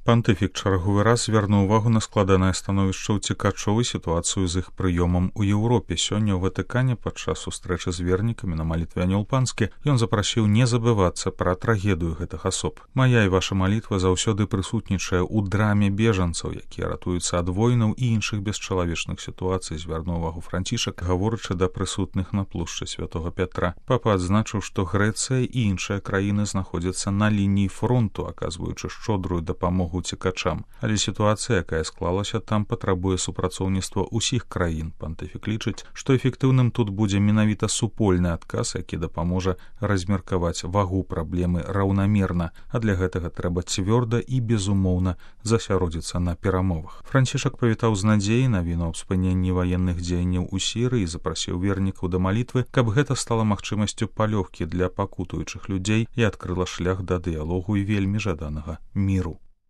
Пантыфік чарговы раз звярнуў увагу на складанае становішча ўцекачоў і сітуацыю з іх прыёмам у Еўропе. Сёння ў Ватыкане падчас сустрэчы з вернікамі на малітве анёл панскі ён запрасіў не забывацца пра трагедыю гэтых асоб. Мая і ваша малітва заўсёды прысутнічае ў драме бежанцаў, якія ратуюцца ад войнаў і іншых бесчалавечных сітуацый, звярнуў увагу Францішак, гаворачы да прысутных на плошчы Святога Пятра. Папа адзначыў, што Грэцыя і іншыя краіны знаходзяцца на лініі фронту, аказваючы шчодрую дапамогу уцекачам. Але сітуацыя, якая склалася там, патрабуе супрацоўніцтва ўсіх краін. Пантыфік лічыць, што эфектыўным тут будзе менавіта супольны адказ, які дапаможа размеркаваць вагу праблемы раўнамерна, а для гэтага трэба цвёрда і безумоўна засяродзіцца на перамовах. Францішак павітаў з надзеяй навіну аб спыненні ваенных дзеянняў у Сірыі і запрасіў вернікаў да малітвы, каб гэта стала магчымасцю палёгкі для пакутуючых людзей і адкрыла шлях да дыялогу і вельмі жаданага міру.